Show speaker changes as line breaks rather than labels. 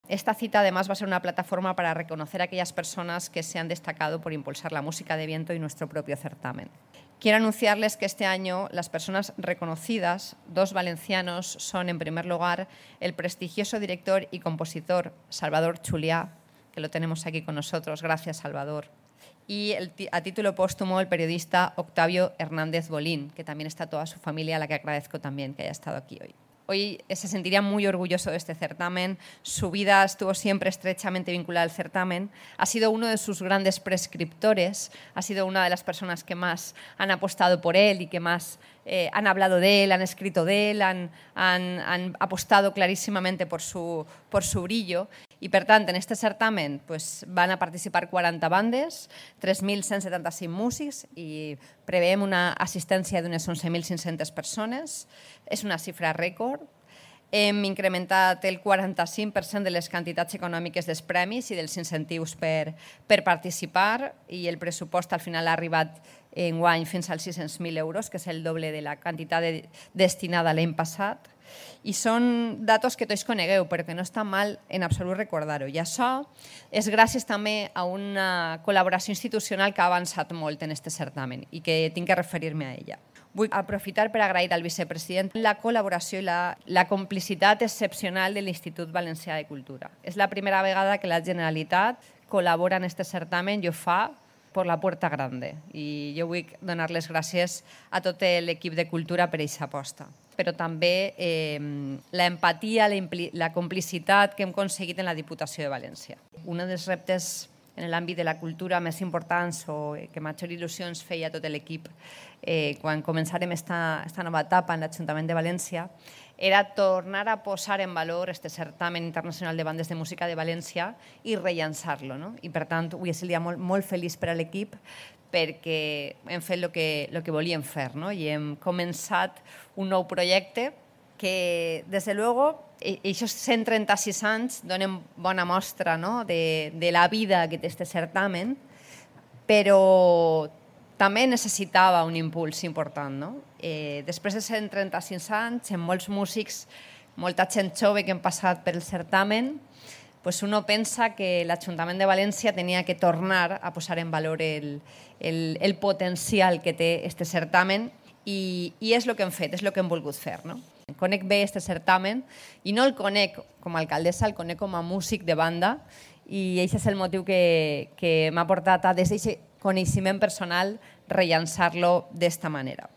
Esta cita además va a ser una plataforma para reconocer a aquellas personas que se han destacado por impulsar la música de viento y nuestro propio certamen. Quiero anunciarles que este año las personas reconocidas, 2 valencianos, son en primer lugar el prestigioso director y compositor Salvador Chuliá, que lo tenemos aquí con nosotros. Gracias, Salvador. Y a título póstumo el periodista Octavio Hernández Bolín, que también está toda su familia, a la que agradezco también que haya estado aquí hoy. Hoy se sentiría muy orgulloso de este certamen. Su vida estuvo siempre estrechamente vinculada al certamen. Ha sido uno de sus grandes prescriptores, ha sido una de las personas que más han apostado por él y que más han hablado de él, han escrito de él, han apostado clarísimamente por su brillo. I, per tant, en aquest certamen van a participar 40 bandes, 3.175 músics i preveiem una assistència d'unes 11.500 persones. És una xifra rècord. Hem incrementat el 45% de les quantitats econòmiques dels premis i dels incentius per participar i el pressupost al final ha arribat enguany fins als 600.000 euros, que és el doble de la quantitat destinada l'any passat. I són datos que tots conegueu, però que no està mal en absolut recordar-ho. I això és gràcies també a una col·laboració institucional que ha avançat molt en aquest certamen i que tinc que referir-me a ella. Vull aprofitar per agrair al vicepresident la col·laboració i la complicitat excepcional de l'Institut Valencià de Cultura. És la primera vegada que la Generalitat col·labora en aquest certamen i ho fa per la puerta grande. I jo vull donar les gràcies a tot l'equip de Cultura per aquesta aposta. Però també l'empatia, la complicitat que hem aconseguit en la Diputació de València. Un dels reptes en l'àmbit de la cultura més importants o que major il·lusió ens feia a tot l'equip quan començarem aquesta nova etapa en l'Ajuntament de València era tornar a posar en valor aquest certamen internacional de bandes de música de València i rellançar-lo. I per tant, avui és el dia molt feliç per a l'equip perquè hem fet el que volíem fer i hem començat un nou projecte que, des de luego, aquests 136 anys donen bona mostra de la vida que té aquest certamen, però també necessitava un impuls important. Després de 136 anys, amb molts músics, molta gent jove que han passat pel certamen, uno pensa que l'Ajuntament de València tenia que tornar a posar en valor el potencial que té aquest certamen i és el que hem fet, és el que hem volgut fer. Conec bé aquest certamen i no el conec com a alcaldessa, el conec com a músic de banda i aquest és el motiu que m'ha portat a, des d'aquest coneixement personal, rellançar-lo d'esta manera.